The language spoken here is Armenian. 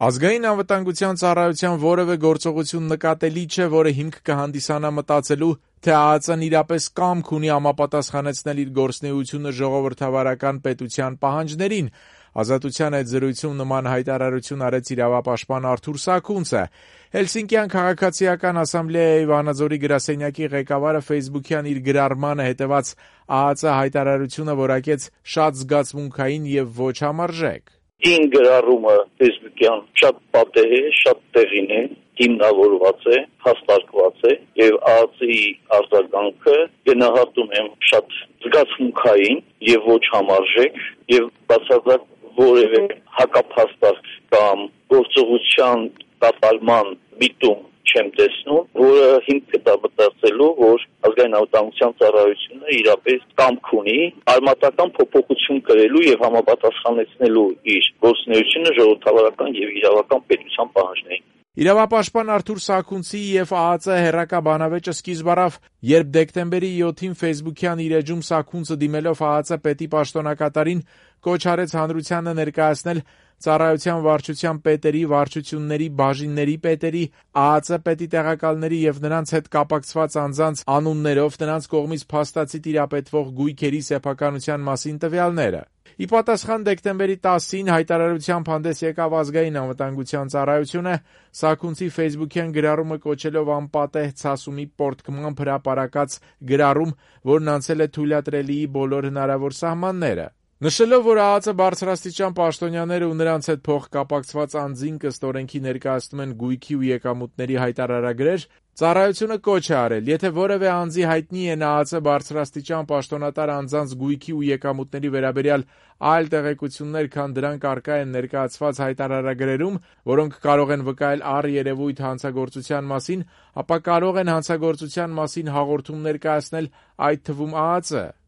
Ազգային անվտանգության ծառայության որևէ գործողություն նկատելի չէ, որը հիմք կհանդիսանա մտածելու, թե ԱԱԾ-ն իրապես կամք ունի համապատասխանեցնել իր գործունեությունը ժողովրդավարական պետության պահանջներին։ Ազատության հետ զրույցում նման հայտարարություն արեց իրավապաշտպան Արթուր Սաքունցը։ Հելսինկյան քաղաքացիական ասամբլեայի Վանաձորի գրասենյակի ղեկավարը ֆեյսբուքյան իր գրառմանը հետևած ԱԱԾ հայտարարությունը որակեց շատ զգացմունքային եւ ոչ համարժեք։ Ին գրառումը ֆեյսբուքյան շատ պատեհ է, շատ տեղին է, հիմնավորված է, հաստատված է եւ ԱԱԾ-ի արձագանքը գնահատում եմ շատ զգացմունքային եւ ոչ համարժեք եւ բացարձակ որևէ հակափաստարկ կամ գործողության կատարման միտում չեմ տեսնում, որը հիմք կտա մտածելու, որ ազգային անվտանգության ծառայությունը իրապես կամք ունի արմատական փոփոխություն կրելու եւ համապատասխանեցնելու իր գործունեությունը ժողովրդավարական եւ իրավական պետության պահանջներին։ Իրավապաշտպան Արթուր Սաքունցի եւ ԱԱԾ հեռակա բանավեճը սկիզբ առավ, երբ դեկտեմբերի 7-ին ֆեյսբուքյան իր էջում Սաքունցը դիմելով ԱԱԾ պետի պաշտոնակատարին կոչ արեց հանրությանը ներկայացնել ծառայության վարչության պետերի, վարչությունների, բաժինների պետերի, ԱԱԾ պետի տեղակալների եւ նրանց հետ կապակցված անձանց անուններով նրանց կողմից փաստացի տիրապետվող գույքերի սեփականության մասին տվյալները։ Ի պատասխան դեկտեմբերի 10-ին հայտարարությամբ հանդես եկավ ազգային անվտանգության ծառայությունը, Սաքունցի ֆեյսբուքյան գրառումը կոչելով անպատեհ ցասումի պորտկմամբ հրապարակած գրառում, որն անցել է թույլատրելիի բոլոր հնարավոր սահմանները։ Նշելով, որ ԱԱԾ բարձրաստիճան պաշտոնյաները ու նրանց հետ փոխկապակցված անձին ըստ օրենքի ներկայացնում են գույքի ու եկամուտների հայտարարագրեր, ծառայությունը կոչ է արել, եթե որևէ անձի հայտնի են ԱԱԾ բարձրաստիճան պաշտոնատար անձանց գույքի ու եկամուտների վերաբերյալ այլ տեղեկություններ, քան դրանք առկա են ներկայացված հայտարարագրերում, որոնք կարող են վկայել առերևույթ հանցագործության մասին, ապա կարող են հանցագործության մասին հաղորդում ներկայացնել, այդ թվում ԱԱԾ։